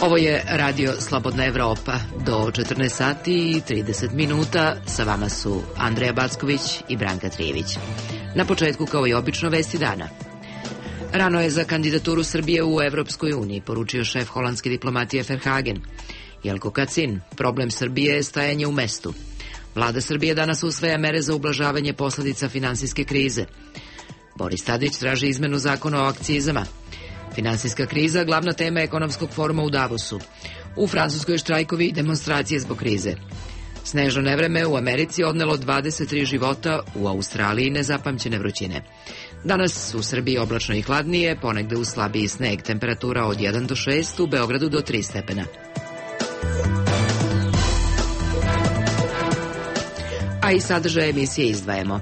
Ovo je Radio Slobodna Evropa. Do 14 sati i 30 minuta sa vama su Andreja Backović i Branka Trijević. Na početku, kao i obično, vesti dana. Rano je za kandidaturu Srbije u Evropskoj uniji, poručio šef holandske diplomatije Verhagen. Jelko Kacin, problem Srbije je stajanje u mestu. Vlada Srbije danas usvaja mere za ublažavanje posledica finansijske krize. Boris Tadić traži izmenu zakona o akcizama. Finansijska kriza, glavna tema ekonomskog foruma u Davosu. U Francuskoj štrajkovi i demonstracije zbog krize. Snežno nevreme u Americi odnelo 23 života, u Australiji nezapamćene vrućine. Danas u Srbiji oblačno i hladnije, ponegde uz slabiji sneg, temperatura od 1 do 6, u Beogradu do 3 stepena. A i sadržaj emisije izdvajamo.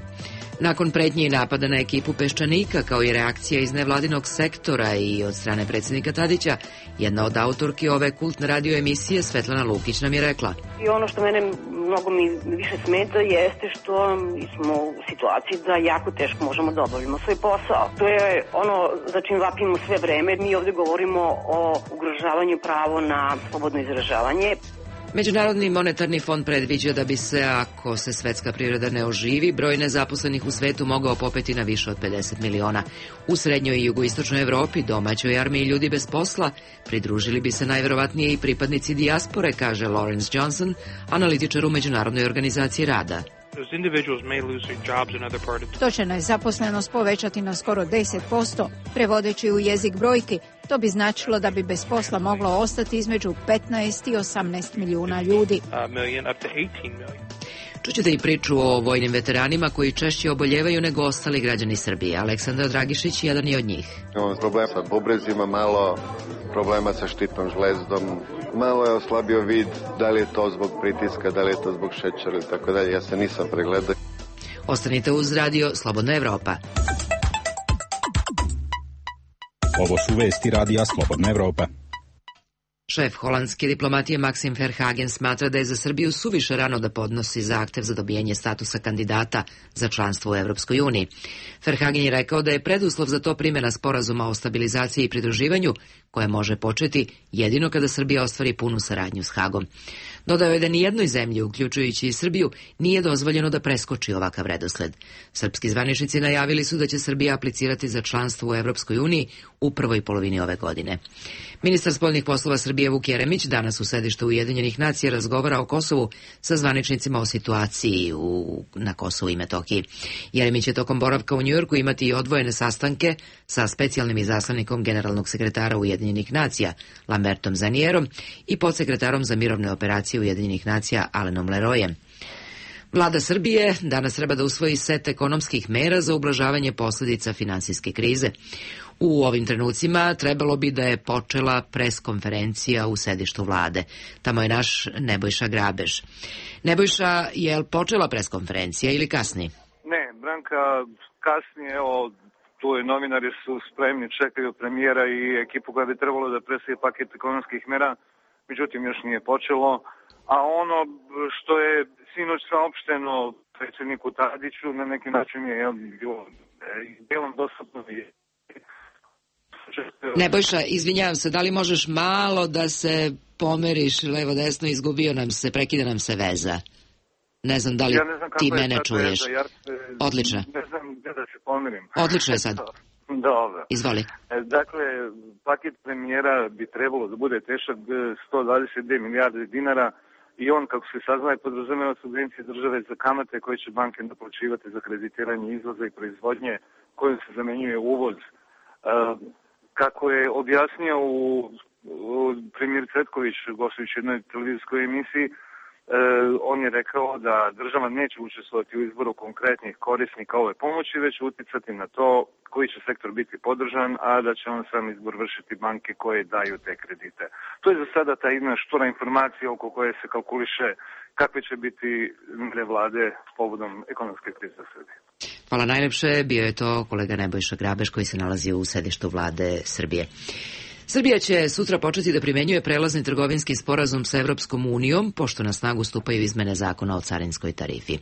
Nakon pretnje i napada na ekipu Peščanika, kao i reakcija iz nevladinog sektora i od strane predsjednika Tadića, jedna od autorki ove kultne radio emisije, Svetlana Lukić, nam je rekla: I ono što mene mnogo mi više smeta jeste što smo u situaciji da jako teško možemo da obavimo svoj posao. To je ono za čim vapimo sve vreme. Mi ovdje govorimo o ugrožavanju pravo na slobodno izražavanje. Međunarodni monetarni fond predviđa da bi se, ako se svetska privreda ne oživi, broj nezaposlenih u svetu mogao popeti na više od 50 miliona. U srednjoj i jugoistočnoj Evropi, domaćoj armiji ljudi bez posla, pridružili bi se najverovatnije i pripadnici dijaspore, kaže Lawrence Johnson, analitičar u Međunarodnoj organizaciji rada. To će nezaposlenost povećati na skoro 10%. Prevodeći u jezik brojki, to bi značilo da bi bez posla moglo ostati između 15 i 18 milijuna ljudi. Čućete i priču o vojnim veteranima koji češće oboljevaju nego ostali građani Srbije. Aleksandar Dragišić jedan je od njih. Imamo problem sa bubrezima, malo problema sa štitnom žlezdom, malo je oslabio vid, da li je to zbog pritiska, da li je to zbog šećera i tako dalje. Ja se nisam pregledao. Ostanite uz Radio Slobodna Evropa. Ovo su vesti Radija Slobodna Evropa. Šef holandske diplomatije Maxim Verhagen smatra da je za Srbiju suviše rano da podnosi zahtev za dobijanje statusa kandidata za članstvo u Evropskoj uniji. Verhagen je rekao da je preduslov za to primjena sporazuma o stabilizaciji i pridruživanju, koje može početi jedino kada Srbija ostvari punu saradnju s Hagom. Dodao je da nijednoj zemlji, uključujući i Srbiju, nije dozvoljeno da preskoči ovakav redosled. Srpski zvaničnici najavili su da će Srbija aplicirati za članstvo u Evropskoj uniji u prvoj polovini ove godine. Ministar spoljnih poslova Srbije Vuk Jeremić danas u sedištu Ujedinjenih nacija razgovara o Kosovu sa zvaničnicima o situaciji na Kosovu i Metohiji. Jeremić će tokom boravka u Njujorku imati i odvojene sastanke sa specijalnim izaslanikom generalnog sekretara Ujedinjenih nacija Lambertom Zanierom i podsekretarom za mirovne operacije Ujedinjenih nacija Alenom Leroyem. Vlada Srbije danas treba da usvoji set ekonomskih mera za ublažavanje posljedica finansijske krize. U ovim trenucima trebalo bi da je počela preskonferencija u sedištu vlade. Tamo je naš Nebojša Grabež. Nebojša, je li počela preskonferencija ili kasni? Ne, Branka, kasnije, evo, tu je novinari su spremni, čekaju premijera i ekipu koja bi trebalo da presije paket ekonomskih mera, međutim još nije počelo. A ono što je sinoć saopšteno predsjedniku Tadiću na neki način je bilo delom dostupno. Nebojša, izvinjavam se, da li možeš malo da se pomeriš levo desno, izgubio nam se, prekida nam se veza. Ne znam da li ti mene čuješ. Odlično. Ne znam gdje da se pomerim. Odlično je sad. Dobro. Izvoli. Dakle, paket premijera bi trebalo da bude težak 122 milijarde dinara i on, kako se saznaje, podrazumeva subvencije države za kamate koje će banke naplaćivati za kreditiranje izvoza i proizvodnje kojim se zamenjuje uvoz. Kako je objasnio u premijer Cvetković, gostujući jednoj televizijskoj emisiji, on je rekao da država neće učestvovati u izboru konkretnih korisnika ove pomoći, već uticati na to koji će sektor biti podržan, a da će on sam izbor vršiti banke koje daju te kredite. To je za sada ta jedna štura informacija oko koje se kalkuliše kakve će biti mjere vlade povodom ekonomske krize u Srbiji. Hvala najlepše, bio je to kolega Nebojša Grabež koji se nalazi u sedištu vlade Srbije. Srbija će sutra početi da primenjuje prelazni trgovinski sporazum sa Evropskom unijom, pošto na snagu stupaju izmene zakona o carinskoj tarifi.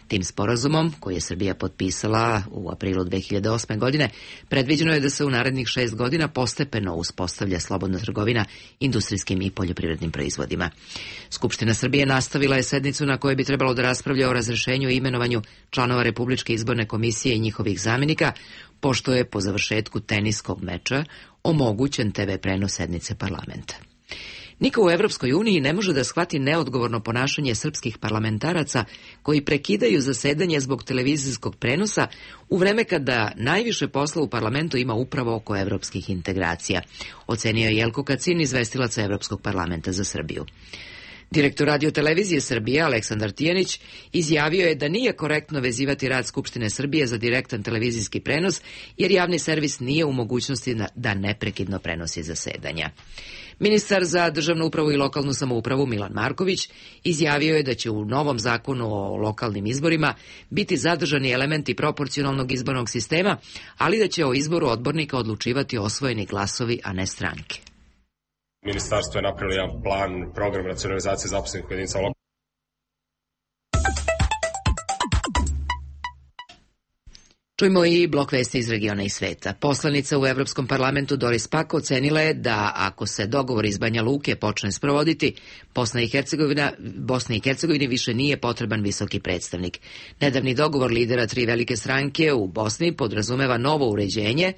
Tim sporazumom, koji je Srbija potpisala u aprilu 2008. godine, predviđeno je da se u narednih 6 godina postepeno uspostavlja slobodna trgovina industrijskim i poljoprivrednim proizvodima. Skupština Srbije nastavila je sednicu na kojoj bi trebalo da raspravlja o razrešenju i imenovanju članova Republičke izborne komisije i njihovih zamenika, pošto je po završetku teniskog meča omogućen TV prenos sednice parlamenta. Niko u Evropskoj uniji ne može da shvati neodgovorno ponašanje srpskih parlamentaraca koji prekidaju zasedanje zbog televizijskog prenosa u vreme kada najviše posla u parlamentu ima upravo oko evropskih integracija, ocenio je Jelko Kacin, izvestilac Evropskog parlamenta za Srbiju. Direktor Radio-televizije Srbije, Aleksandar Tijanić, izjavio je da nije korektno vezivati rad Skupštine Srbije za direktan televizijski prenos, jer javni servis nije u mogućnosti da neprekidno prenosi zasedanja. Ministar za državnu upravu i lokalnu samoupravu Milan Marković izjavio je da će u novom zakonu o lokalnim izborima biti zadržani elementi proporcionalnog izbornog sistema, ali da će o izboru odbornika odlučivati osvojeni glasovi, a ne stranke. Ministarstvo je napravilo jedan plan, program racionalizacije zaposlenih u jedinicama lokalne. Čujmo i blok vesti iz regiona i sveta. Poslanica u Evropskom parlamentu Doris Pack ocenila je da ako se dogovor iz Banja Luke počne sprovoditi, Bosni i Hercegovini više nije potreban visoki predstavnik. Nedavni dogovor lidera 3 velike stranke u Bosni podrazumeva novo uređenje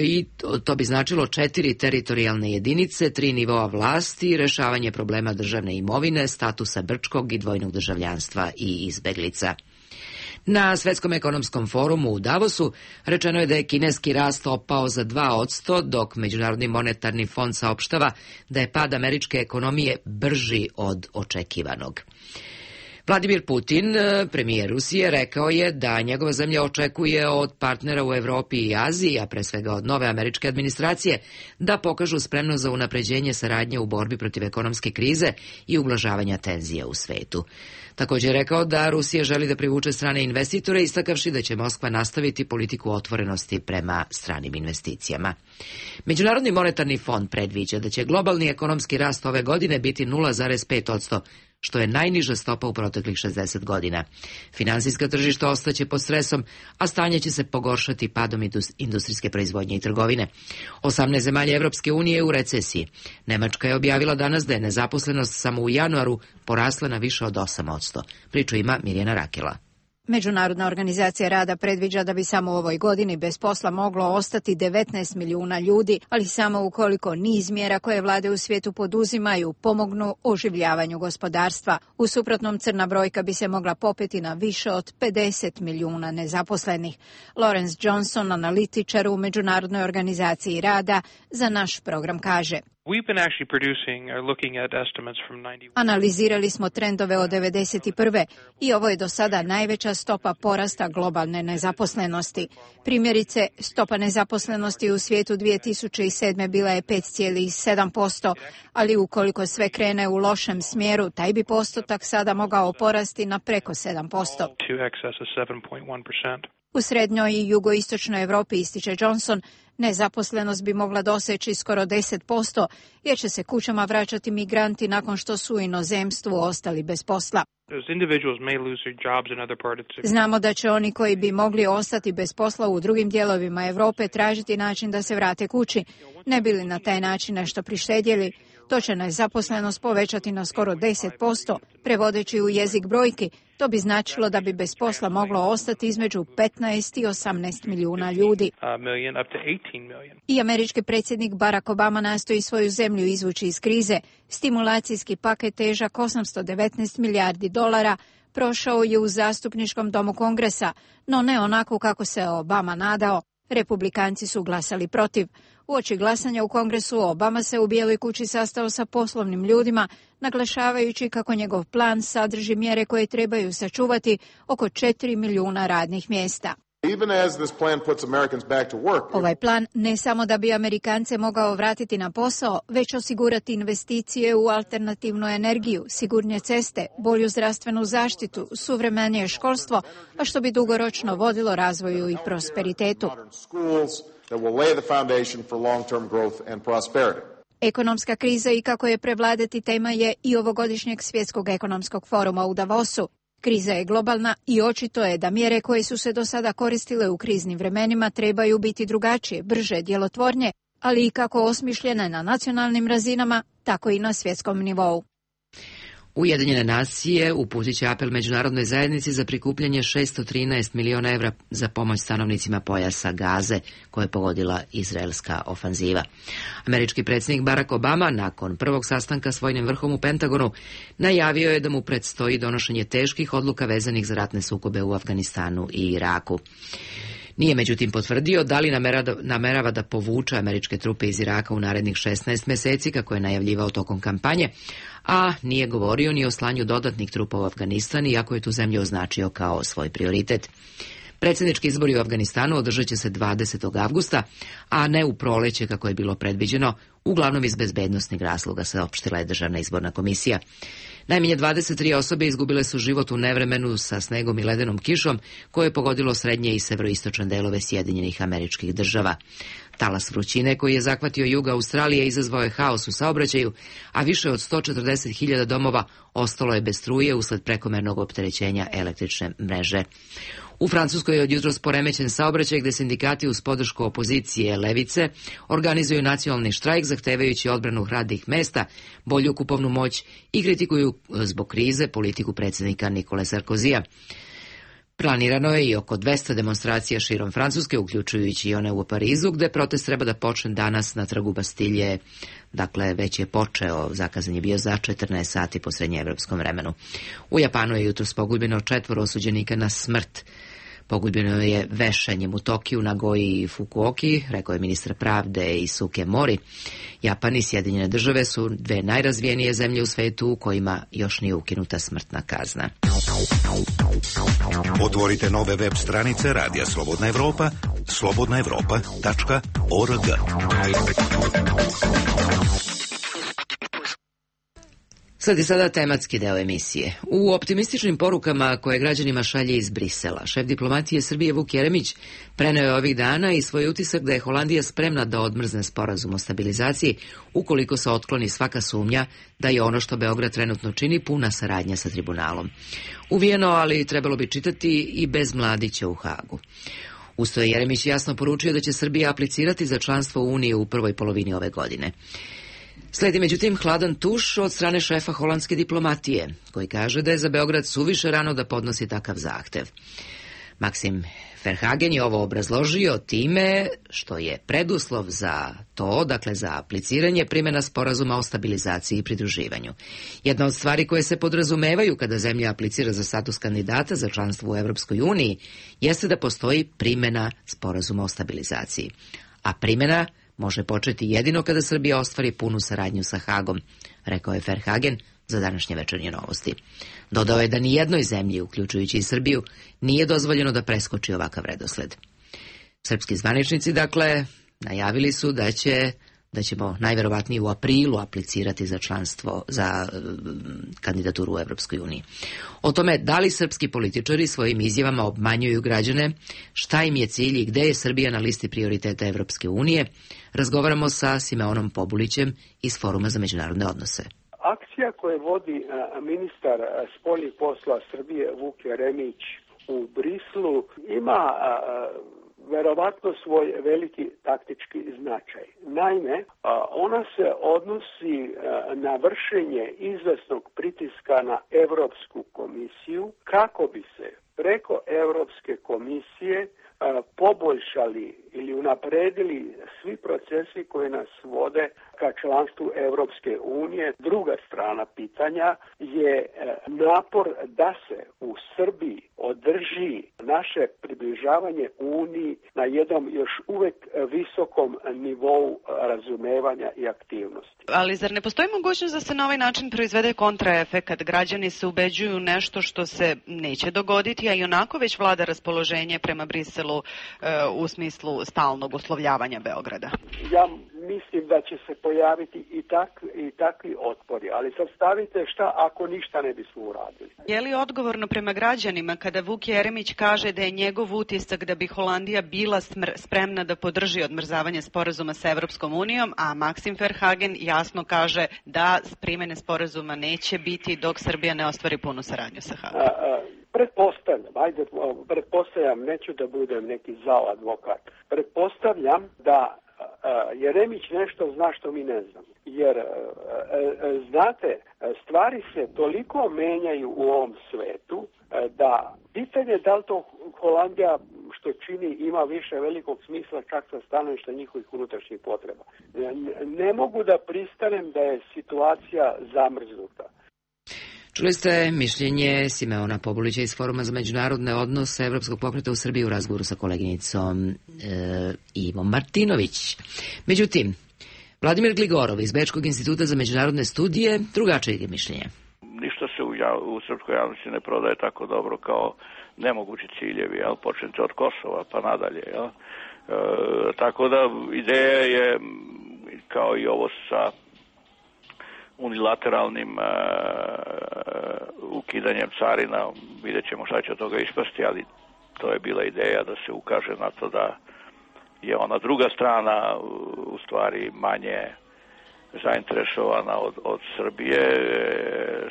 i to bi značilo 4 teritorijalne jedinice, 3 nivoa vlasti, rešavanje problema državne imovine, statusa Brčkog i dvojnog državljanstva i izbeglica. Na Svetskom ekonomskom forumu u Davosu rečeno je da je kineski rast opao za 2%, dok Međunarodni monetarni fond saopštava da je pad američke ekonomije brži od očekivanog. Vladimir Putin, premijer Rusije, rekao je da njegova zemlja očekuje od partnera u Evropi i Aziji, a pre svega od nove američke administracije, da pokažu spremnost za unapređenje saradnje u borbi protiv ekonomske krize i ublažavanja tenzija u svetu. Također je rekao da Rusija želi da privuče strane investitore, istakavši da će Moskva nastaviti politiku otvorenosti prema stranim investicijama. Međunarodni monetarni fond predviđa da će globalni ekonomski rast ove godine biti 0,5%, što je najniža stopa u proteklih 60 godina. Finansijska tržišta ostaće pod stresom, a stanje će se pogoršati padom industrijske proizvodnje i trgovine. 18 zemalja Evropske unije je u recesiji. Nemačka je objavila danas da je nezaposlenost samo u januaru porasla na više od 8%. Priču ima Mirjana Rakela. Međunarodna organizacija rada predviđa da bi samo u ovoj godini bez posla moglo ostati 19 milijuna ljudi, ali samo ukoliko niz mjera koje vlade u svijetu poduzimaju pomognu oživljavanju gospodarstva. U suprotnom, crna brojka bi se mogla popeti na više od 50 milijuna nezaposlenih. Lawrence Johnson, analitičar u Međunarodnoj organizaciji rada, za naš program kaže: Analizirali smo trendove od 1991. i ovo je do sada najveća stopa porasta globalne nezaposlenosti. Primjerice, stopa nezaposlenosti u svijetu 2007. bila je 5,7%, ali ukoliko sve krene u lošem smjeru, taj bi postotak sada mogao porasti na preko 7%. U srednjoj i jugoistočnoj Europi, ističe Johnson, nezaposlenost bi mogla doseći skoro 10%, jer će se kućama vraćati migranti nakon što su u inozemstvu ostali bez posla. Znamo da će oni koji bi mogli ostati bez posla u drugim dijelovima Europe tražiti način da se vrate kući, ne bi li na taj način nešto prištedjeli. To će nezaposlenost povećati na skoro 10%, prevodeći u jezik brojki. To bi značilo da bi bez posla moglo ostati između 15 i 18 milijuna ljudi. I američki predsjednik Barack Obama nastoji svoju zemlju izvući iz krize. Stimulacijski paket težak $819 milijardi prošao je u zastupničkom domu Kongresa, no ne onako kako se Obama nadao. Republikanci su glasali protiv. Uoči glasanja u Kongresu Obama se u Bijeloj kući sastao sa poslovnim ljudima, naglašavajući kako njegov plan sadrži mjere koje trebaju sačuvati oko 4 milijuna radnih mjesta. Ovaj plan ne samo da bi Amerikance mogao vratiti na posao, već osigurati investicije u alternativnu energiju, sigurnije ceste, bolju zdravstvenu zaštitu, suvremenije školstvo, a što bi dugoročno vodilo razvoju i prosperitetu. that will lay the foundation for long-term growth and prosperity. Ekonomska kriza i kako je prevladati tema je i ovogodišnjeg svjetskog ekonomskog foruma u Davosu. Kriza je globalna i očito je da mjere koje su se do sada koristile u kriznim vremenima trebaju biti drugačije, brže, djelotvornije, ali i kako osmišljene na nacionalnim razinama, tako i na svjetskom nivou. Ujedinjene nacije uputit će apel međunarodnoj zajednici za prikupljanje 613 miliona evra za pomoć stanovnicima pojasa Gaze koje je pogodila izraelska ofanziva. Američki predsjednik Barack Obama nakon prvog sastanka s vojnim vrhom u Pentagonu najavio je da mu predstoji donošenje teških odluka vezanih za ratne sukobe u Afganistanu i Iraku. Nije međutim potvrdio da li namerava da povuče američke trupe iz Iraka u narednih 16 mjeseci, kako je najavljivao tokom kampanje, a nije govorio ni o slanju dodatnih trupa u Afganistan, iako je tu zemlju označio kao svoj prioritet. Predsjednički izbori u Afganistanu održat će se 20. avgusta, a ne u proleće kako je bilo predviđeno, uglavnom iz bezbednosnih razloga, saopštila je Državna izborna komisija. Najmanje 23 osobe izgubile su život u nevremenu sa snegom i ledenom kišom koje je pogodilo srednje i severoistočne delove Sjedinjenih Američkih Država. Talas vrućine koji je zahvatio jug Australije izazvao je haos u saobraćaju, a više od 140.000 domova ostalo je bez struje usled prekomernog opterećenja električne mreže. U Francuskoj je od jutros poremećen saobraćaj gde sindikati uz podršku opozicije levice organizuju nacionalni štrajk zahtevajući odbranu radnih mesta, bolju kupovnu moć i kritikuju zbog krize politiku predsjednika Nikole Sarkozija. Planirano je i oko 200 demonstracija širom Francuske, uključujući i one u Parizu, gde protest treba da počne danas na trgu Bastilje. Dakle, već je počeo, zakazan je bio za 14 sati po srednjeevropskom vremenu. U Japanu je jutros poguljbeno 4 osuđenika na smrt. Poguljbeno je vešanjem u Tokiju, Nagoji i Fukuoki, rekao je ministar pravde Isuke Mori. Japan i Sjedinjene Države su dve najrazvijenije zemlje u svetu u kojima još nije ukinuta smrtna kazna. Otvorite nove web stranice Radija Slobodna Evropa, slobodnaevropa.org. Sad je sada tematski deo emisije. U optimističnim porukama koje građanima šalje iz Brisela, šef diplomatije Srbije Vuk Jeremić preneo je ovih dana i svoj utisak da je Holandija spremna da odmrzne sporazum o stabilizaciji ukoliko se otkloni svaka sumnja da je ono što Beograd trenutno čini puna saradnja sa tribunalom. Uvijeno, ali trebalo bi čitati i bez Mladića u Hagu. Usto je Jeremić jasno poručio da će Srbija aplicirati za članstvo u Uniji u prvoj polovini ove godine. Sledi međutim hladan tuš od strane šefa holandske diplomatije, koji kaže da je za Beograd suviše rano da podnosi takav zahtev. Maxim Verhagen je ovo obrazložio time što je preduslov za to, dakle za apliciranje, primjena sporazuma o stabilizaciji i pridruživanju. Jedna od stvari koje se podrazumevaju kada zemlja aplicira za status kandidata za članstvo u Evropskoj uniji jeste da postoji primjena sporazuma o stabilizaciji. A primjena može početi jedino kada Srbija ostvari punu saradnju sa Hagom, rekao je Verhagen za današnje Večernje novosti. Dodao je da ni jednoj zemlji, uključujući i Srbiju, nije dozvoljeno da preskoči ovakav redosled. Srpski zvaničnici, dakle, najavili su da ćemo najverovatnije u aprilu aplicirati za članstvo, za kandidaturu u Evropskoj uniji. O tome da li srpski političari svojim izjavama obmanjuju građane, šta im je cilj i gde je Srbija na listi prioriteta Evropske unije, razgovaramo sa Simeonom Pobulićem iz Foruma za međunarodne odnose. Akcija koju vodi ministar spoljnih poslova Srbije Vuk Jeremić u Brislu ima verovatno svoj veliki taktički značaj. Naime, ona se odnosi na vršenje izvesnog pritiska na Evropsku komisiju kako bi se preko Evropske komisije poboljšali ili unapredili svi procesi koji nas vode ka članstvu Evropske unije. Druga strana pitanja je napor da se u Srbiji održi naše približavanje Uniji na jednom još uvek visokom nivou razumevanja i aktivnosti. Ali zar ne postoji mogućnost da se na ovaj način proizvede kontraefekat? Građani se ubeđuju nešto što se neće dogoditi, a i onako već vlada raspoloženje prema Briselu u smislu stalnog uslovljavanja Beograda. Ja mislim da će se pojaviti i takvi otpori. Ali sad stavite šta ako ništa ne bismo uradili. Je li odgovorno prema građanima kada Vuk Jeremić kaže da je njegov utisak da bi Holandija bila spremna da podrži odmrzavanje sporazuma sa Evropskom unijom, a Maksim Verhagen jasno kaže da primene sporazuma neće biti dok Srbija ne ostvari punu saradnju sa Hagom? Pretpostavljam, neću da budem neki zao advokat, pretpostavljam da Jeremić nešto zna što mi ne znamo. Jer, znate, stvari se toliko menjaju u ovom svetu da pitanje da li to Holandija što čini ima više velikog smisla čak sa stanovišta njihovih unutrašnjih potreba. Ne mogu da pristanem da je situacija zamrznuta. Čuli ste mišljenje Simeona Pobulića iz Foruma za međunarodne odnose Evropskog pokreta u Srbiji u razgovoru sa koleginicom Ivom Martinović. Međutim, Vladimir Gligorov iz Bečkog instituta za međunarodne studije drugačije je mišljenje. Ništa se u srpskoj javnosti ne prodaje tako dobro kao nemogući ciljevi, počnete od Kosova pa nadalje. Tako da ideja je kao i ovo sa unilateralnim ukidanjem carina, vidjet ćemo šta će od toga ispasti, ali to je bila ideja da se ukaže na to da je ona druga strana u stvari manje zainteresovana od Srbije.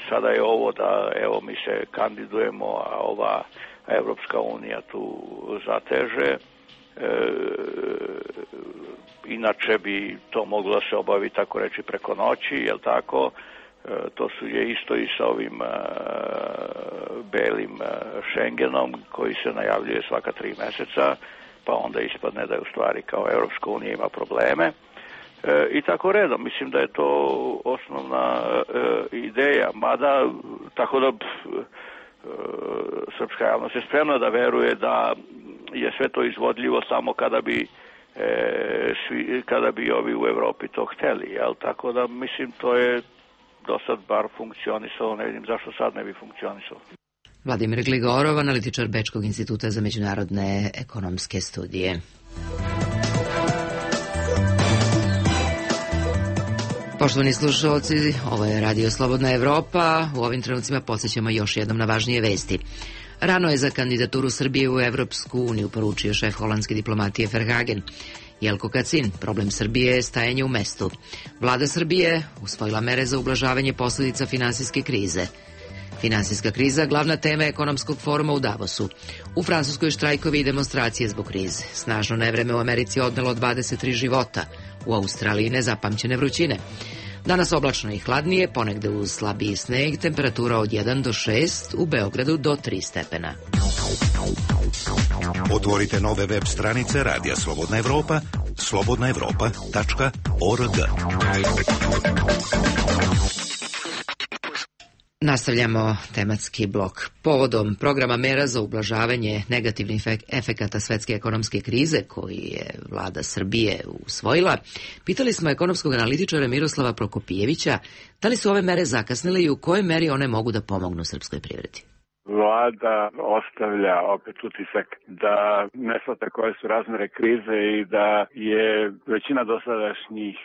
Sada je ovo da evo mi se kandidujemo, a ova Evropska unija tu zateže. Inače bi to moglo da se obavi tako reći preko noći, jel tako? To je isto i sa ovim belim Schengenom koji se najavljuje svaka 3 meseca, pa onda ispadne da je u stvari kao Evropska unija ima probleme. I tako redom, mislim da je to osnovna ideja, mada tako da srpska javnost je spremna da veruje da je sve to izvodljivo samo kada bi ovi u Evropi to hteli, jel? Tako da mislim to je do sad bar funkcionisalo, ne vidim zašto sad ne bi funkcionisalo. Vladimir Gligorov, analitičar Bečkog instituta za međunarodne ekonomske studije. Poštovani slušalci, ovo je Radio Slobodna Evropa. U ovim trenucima podsjećamo još jednom na važnije vesti. Rano je za kandidaturu Srbije u Evropsku uniju, poručio šef holandske diplomatije Verhagen. Jelko Kacin, problem Srbije je stajanje u mestu. Vlada Srbije usvojila mere za ublažavanje posljedica finansijske krize. Finansijska kriza, glavna tema ekonomskog foruma u Davosu. U Francuskoj štrajkovi i demonstracije zbog krize. Snažno nevreme u Americi odnelo 23 života. U Australiji nezapamćene vrućine. Danas oblačno i hladnije, ponegde uz slabiji sneg, temperatura od 1 do 6, u Beogradu do 3 stepena. Otvorite nove web stranice Radija Slobodna Evropa, slobodnaevropa.org. Nastavljamo tematski blok. Povodom programa mera za ublažavanje negativnih efekata svetske ekonomske krize koji je vlada Srbije usvojila, pitali smo ekonomskog analitičara Miroslava Prokopijevića da li su ove mere zakasnile i u kojoj meri one mogu da pomognu srpskoj privredi. Vlada ostavlja opet utisak da ne shvata koje su razmere krize i da je većina dosadašnjih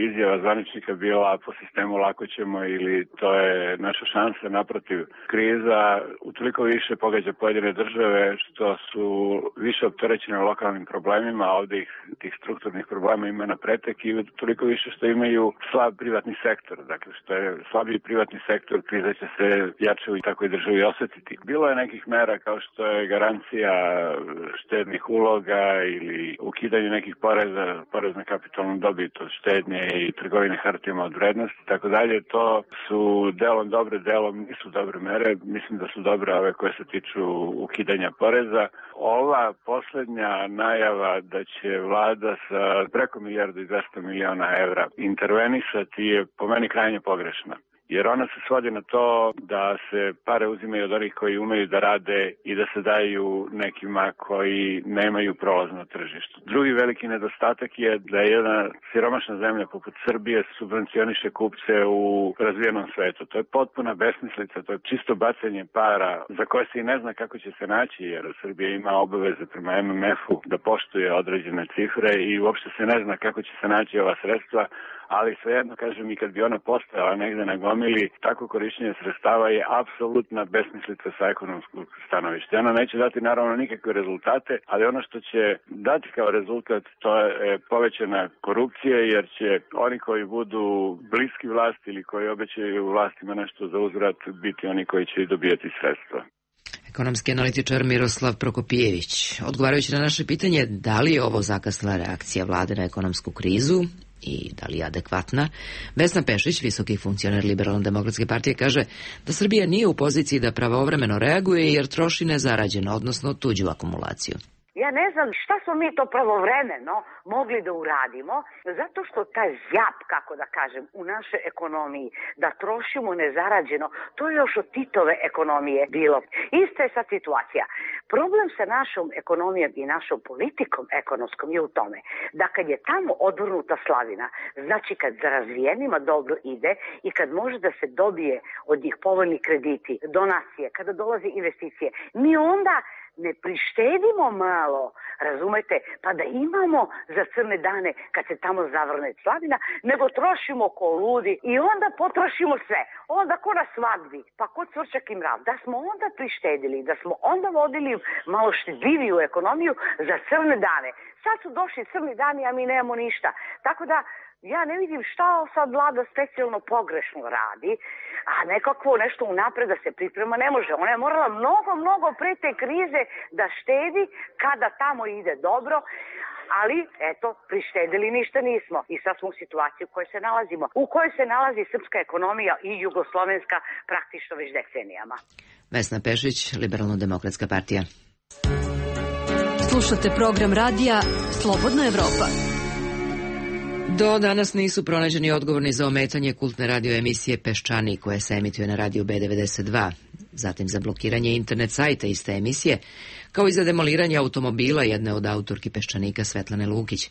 izjava zvaničnika bila po sistemu lako ćemo ili to je naša šansa. Naprotiv, kriza utoliko više pogađa pojedine države što su više opterećene lokalnim problemima, a ovdje tih strukturnih problema ima na pretek i toliko više što imaju slab privatni sektor. Dakle, što je slabiji privatni sektor, kriza će se jače u takvoj državi osjetiti. Bilo je nekih mera kao što je garancija štednih uloga ili ukidanje nekih porez na kapitalnu dobit od štednje i trgovine hartijama od vrednosti i tako dalje. To su delom dobre, delom nisu dobre mere. Mislim da su dobre ove koje se tiču ukidanja poreza. Ova posljednja najava da će vlada sa preko 1,2 milijarde evra intervenisati je po meni krajnje pogrešna. jer ona se svodi na to da se pare uzimaju od onih koji umeju da rade i da se daju nekima koji nemaju prolaz na tržištu. Drugi veliki nedostatak je da je jedna siromašna zemlja poput Srbije subvencioniše kupce u razvijenom svetu. To je potpuna besmislica, to je čisto bacanje para za koje se i ne zna kako će se naći, jer Srbija ima obaveze prema MMF-u da poštuje određene cifre i uopšte se ne zna kako će se naći ova sredstva, ali svejedno, kažem, i kad bi ona postojala negde na gomili, tako korišćenje sredstava je apsolutna besmislica sa ekonomskog stanovišta. Ona neće dati naravno nikakve rezultate, ali ono što će dati kao rezultat to je povećana korupcija, jer će oni koji budu bliski vlasti ili koji obećaju vlastima nešto za uzvrat biti oni koji će dobijati sredstva. Ekonomski analitičar Miroslav Prokopijević. Odgovarajući na naše pitanje da li je ovo zakasnila reakcija vlade na ekonomsku krizu i da li je adekvatna, Vesna Pešić, visoki funkcioner Liberalno-demokratske partije, kaže da Srbija nije u poziciji da pravovremeno reaguje jer troši nezarađeno, odnosno tuđu akumulaciju. Ja ne znam šta smo mi to pravovremeno mogli da uradimo, zato što taj zjap, kako da kažem, u našoj ekonomiji, da trošimo nezarađeno, to je još od Titove ekonomije bilo. Ista je sad situacija. Problem sa našom ekonomijom i našom politikom ekonomskom je u tome da kad je tamo odvrnuta slavina, znači kad za razvijenima dobro ide i kad može da se dobije od njih povoljni krediti, donacije, kada dolaze investicije, mi onda ne prištedimo malo, razumete, pa da imamo za crne dane kad se tamo zavrne slavina, nego trošimo ko ludi i onda potrošimo sve. Onda ko na svadbi, pa ko cvrčak i mrav. Da smo onda prištedili, da smo onda vodili malo štedljiviju ekonomiju za crne dane. Sad su došli crni dani, a mi nemamo ništa. Tako da ja ne vidim šta sad vlada specijalno pogrešno radi, a nekakvo nešto unapred da se priprema ne može. Ona je morala mnogo pre te krize da štedi kada tamo ide dobro, ali eto, prištedili ništa nismo. I sad smo u situaciji u kojoj se nalazimo, u kojoj se nalazi srpska ekonomija i jugoslovenska praktično već decenijama. Vesna Pešić, Liberalno-demokratska partija. Slušate program radija Slobodna Evropa. Do danas nisu pronađeni odgovorni za ometanje kultne radio emisije Peščanik koja se emituje na radiju B92, zatim za blokiranje internet sajta iste emisije, kao i za demoliranje automobila jedne od autorki Peščanika Svetlane Lukić.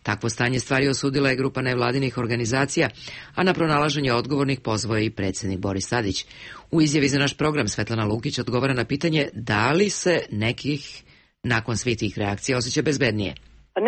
Takvo stanje stvari osudila je grupa nevladinih organizacija, a na pronalaženje odgovornih pozvao je i predsjednik Boris Tadić. U izjavi za naš program Svetlana Lukić odgovara na pitanje da li se nekih nakon svih tih reakcija osjeća bezbednije.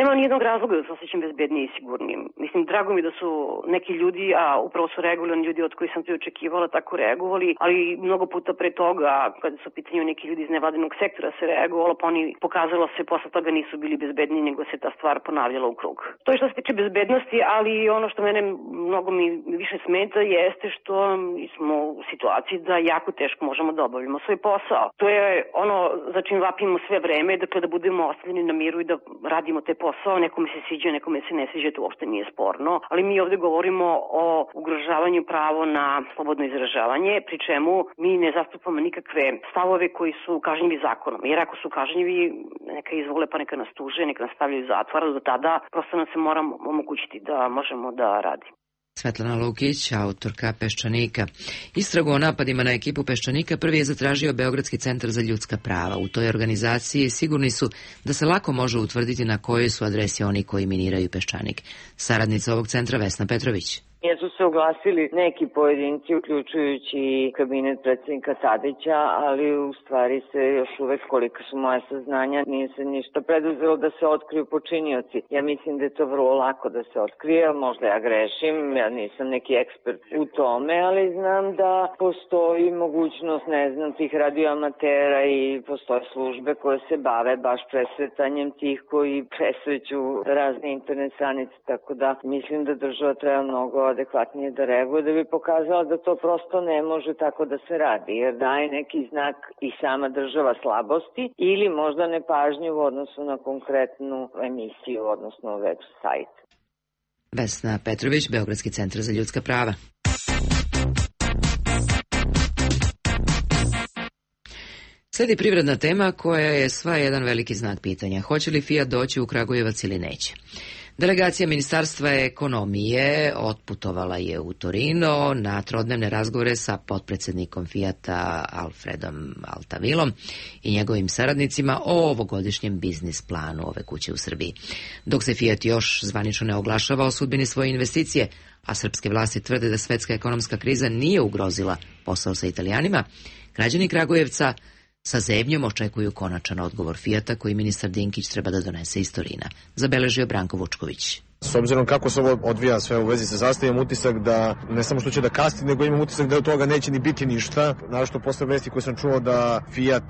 Nema nijednog razloga da se osjećam bezbednije i sigurnijim. Mislim, drago mi da su neki ljudi, a upravo su reagovali ljudi od kojih sam to očekivala, tako reagovali, ali mnogo puta pre toga, kada su pitanju neki ljudi iz nevladinog sektora se reagovalo, pa oni pokazalo se posle toga nisu bili bezbedniji, nego se ta stvar ponavljala u krug. To je što se tiče bezbednosti, ali ono što mene mnogo mi više smeta jeste što smo u situaciji da jako teško možemo da obavljamo svoj posao. To je ono za čim vapimo sve vreme, dakle da budemo ostavljeni na miru i da radimo te posao, nekome se sviđa, nekome se ne sviđa, to uopšte nije sporno, ali mi ovde govorimo o ugrožavanju pravo na slobodno izražavanje, pri čemu mi ne zastupamo nikakve stavove koji su kažnjivi zakonom, jer ako su kažnjivi, neka izvole pa neka nas tuže, neka nas stavljaju u zatvor, do tada prosto nam se mora omogućiti da možemo da radimo. Svetlana Lukić, autorka Peščanika. Istragu o napadima na ekipu Peščanika prvi je zatražio Beogradski centar za ljudska prava. U toj organizaciji sigurni su da se lako može utvrditi na kojoj su adresi oni koji miniraju Peščanik. Saradnica ovog centra Vesna Petrović. Jesu se oglasili neki pojedinci, uključujući kabinet predsjednika Tadića, ali u stvari se još uvek, koliko su moje saznanja, nije se ništa preduzelo da se otkriju počinioci. Ja mislim da je to vrlo lako da se otkrije, možda ja grešim, ja nisam neki ekspert u tome, ali znam da postoji mogućnost, ne znam, tih radioamatera i postoje službe koje se bave baš presretanjem tih koji presreću razne internet stranice, tako da mislim da država treba mnogo adekvatnije da reaguje, da bi pokazala da to prosto ne može tako da se radi, jer daje neki znak i sama država slabosti ili možda nepažnju u odnosu na konkretnu emisiju, odnosno web sajt. Vesna Petrović, Beogradski centar za ljudska prava. Sledi privredna tema koja je sva jedan veliki znak pitanja. Hoće li Fiat doći u Kragujevac ili neće? Delegacija Ministarstva ekonomije otputovala je u Torino na trodnevne razgovore sa potpredsjednikom Fijata Alfredom Altavilom i njegovim saradnicima o ovogodišnjem biznis planu ove kuće u Srbiji. Dok se Fijat još zvanično ne oglašava o sudbini svoje investicije, a srpske vlasti tvrde da svetska ekonomska kriza nije ugrozila posao sa Italijanima, građani Kragujevca sa zebnjom očekuju konačan odgovor Fijata koji ministar Dinkić treba da donese iz Torina, zabeležio Branko Vučković. S obzirom kako se ovo odvija sve u vezi sa zastavom, imam utisak da ne samo što će da kasni, nego imam utisak da od toga neće ni biti ništa. Naravno posle vesti koje sam čuo da Fiat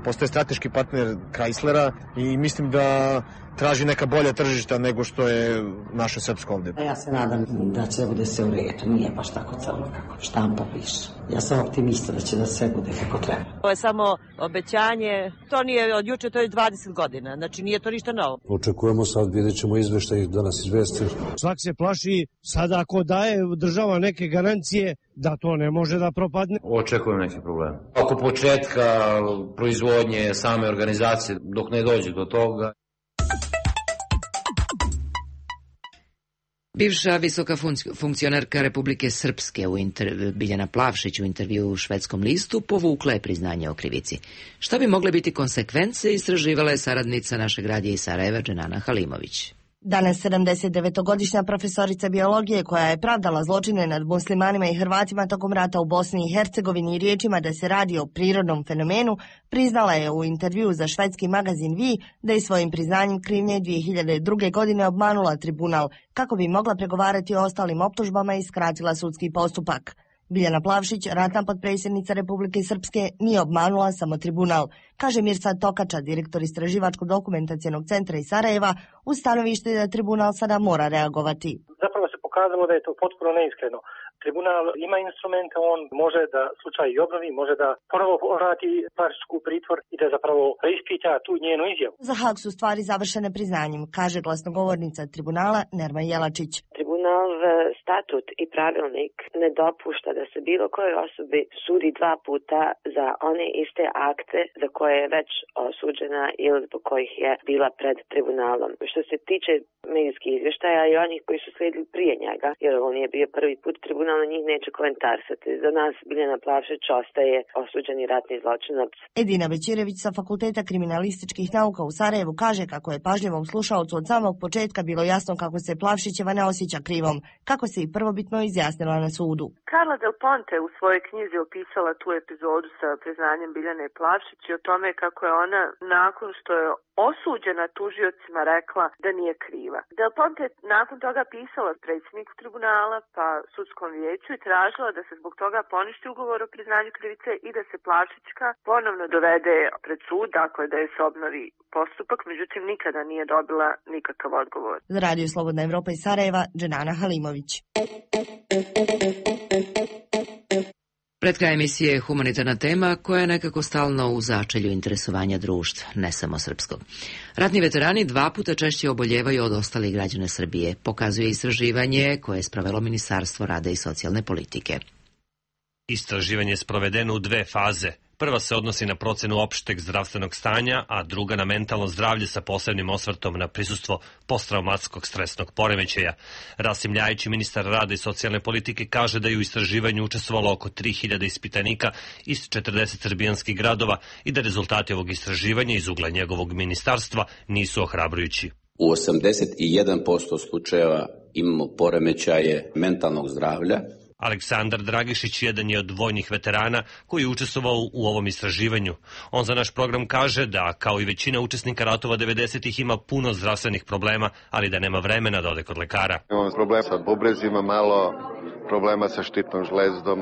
postaje strateški partner Chryslera i mislim da traži neka bolja tržišta nego što je naše srpsko ovde. Ja se nadam da će bude sve u redu, nije baš tako crno kako štampa piše. Ja sam optimista da će da sve bude kako treba. To je samo obećanje, to nije od juče, to je 20 godina, znači nije to ništa novo. Očekujemo sad, vidjet ćemo izveštaj da nas izvesti. Svak se plaši sada ako daje država neke garancije da to ne može da propadne. Očekujem neki problem. Oko početka proizvodnje same organizacije, dok ne dođe do toga. Bivša visoka funkcionerka Republike Srpske Biljana Plavšić u intervju u švedskom listu povukla je priznanje o krivici. Šta bi mogle biti konsekvence, istraživala je saradnica našeg radija iz Sarajeva Dženana Halimović. Danas 79-godišnja profesorica biologije koja je pravdala zločine nad muslimanima i Hrvatima tokom rata u Bosni i Hercegovini riječima da se radi o prirodnom fenomenu, priznala je u intervju za švedski magazin Vi da je svojim priznanjem krivnje 2002. godine obmanula tribunal kako bi mogla pregovarati o ostalim optužbama i skratila sudski postupak. Biljana Plavšić, ratna potpredsjednica Republike Srpske, nije obmanula samo tribunal, kaže Mirsad Tokača, direktor istraživačko-dokumentacijenog centra iz Sarajeva, u stanovište da tribunal sada mora reagovati. Zapravo se pokazalo da je to potpuno neiskreno. Tribunal ima instrumente, on može da slučaj i obnovi, može da ponovo vrati Plavšićku pritvor i da zapravo preispita tu njenu izjavu. Za Haag su stvari završene priznanjem, kaže glasnogovornica tribunala Nerma Jelačić. Tribunal statut i pravilnik ne dopušta da se bilo kojoj osobi sudi dva puta za one iste akte za koje je već osuđena ili zbog kojih je bila pred tribunalom. Što se tiče medijskih izvještaja i onih koji su slijedili prije njega, jer ovo nije bio prvi put, tribunal na njih neće komentarsati. Za nas Biljana Plavšić ostaje osuđeni ratni zločinac. Edina Bećirević sa Fakulteta kriminalističkih nauka u Sarajevu kaže kako je pažljivom slušaocu od samog početka bilo jasno kako se Plavšićeva ne osjeća krivom, kako se i prvobitno izjasnila na sudu. Carla Del Ponte u svojoj knjizi opisala tu epizodu sa priznanjem Biljane Plavšić i o tome kako je ona nakon što je osuđena tužiocima rekla da nije kriva. Del Ponte nakon toga pisala predsjedniku tribunala pa sudskom vijeću i tražila da se zbog toga poništi ugovor o priznanju krivice i da se Plavšićka ponovno dovede pred sud, dakle da je se obnovi postupak, međutim nikada nije dobila nikakav odgovor. Za Radio Slobodna Evropa iz Sarajeva, Dženana Halimović. Pred kraj emisije je humanitarna tema koja je nekako stalno u začelju interesovanja društva, ne samo srpskog. Ratni veterani 2 puta češće oboljevaju od ostalih građana Srbije, pokazuje istraživanje koje je sprovelo Ministarstvo rada i socijalne politike. Istraživanje je sprovedeno u 2 faze. Prva se odnosi na procenu opšteg zdravstvenog stanja, a druga na mentalno zdravlje sa posebnim osvrtom na prisustvo posttraumatskog stresnog poremećaja. Rasim Ljajić, ministar rada i socijalne politike, kaže da je u istraživanju učestvovalo oko 3000 ispitanika iz 40 srbijanskih gradova i da rezultati ovog istraživanja iz ugla njegovog ministarstva nisu ohrabrujući. U 81% slučajeva imamo poremećaje mentalnog zdravlja. Aleksandar Dragišić jedan je od vojnih veterana koji je učestvovao u ovom istraživanju. On za naš program kaže da, kao i većina učesnika ratova 90-ih, ima puno zdravstvenih problema, ali da nema vremena da ode kod lekara. Imam problem sa bubrezima, malo problema sa štitnom žlezdom,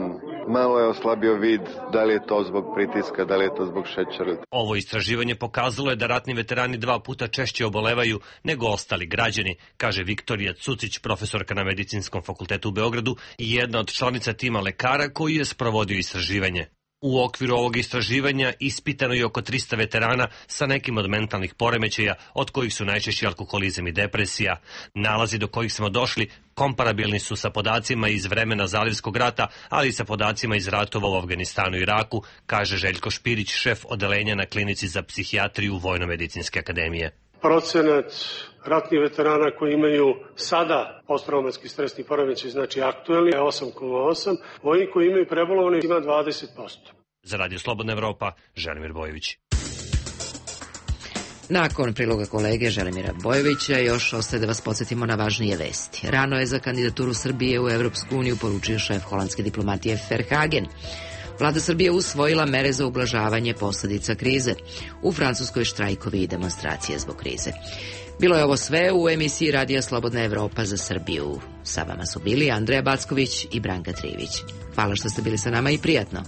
malo je oslabio vid, da li je to zbog pritiska, da li je to zbog šećera. Ovo istraživanje pokazalo je da ratni veterani 2 puta češće obolevaju nego ostali građani, kaže Viktorija Cucić, profesorka na Medicinskom fakultetu u Beogradu i jedna od članica tima lekara koji je sprovodio istraživanje. U okviru ovog istraživanja ispitano je oko 300 veterana sa nekim od mentalnih poremećaja, od kojih su najčešći alkoholizam i depresija. Nalazi do kojih smo došli komparabilni su sa podacima iz vremena Zalivskog rata, ali i sa podacima iz ratova u Afganistanu i Iraku, kaže Željko Špirić, šef odelenja na klinici za psihijatriju Vojno-medicinske akademije. procenat ratnih veterana koji imaju sada posttraumatski stresni poremećaj, znači aktuelni, je 8,8, oni koji imaju prebolovani ima 20%. Za Radio Slobodna Evropa, Želimir Bojović. Nakon priloga kolege Želimira Bojovića još ostaje da vas podsjetimo na važnije vesti. Rano je za kandidaturu Srbije u Evropsku uniju poručio šef holandske diplomatije Verhagen. Vlada Srbije usvojila mere za ublažavanje posledica krize. U Francuskoj štrajkovi i demonstracije zbog krize. Bilo je ovo sve u emisiji Radija Slobodna Evropa za Srbiju. Sa vama su bili Andreja Backović i Branka Trivić. Hvala što ste bili sa nama i prijatno.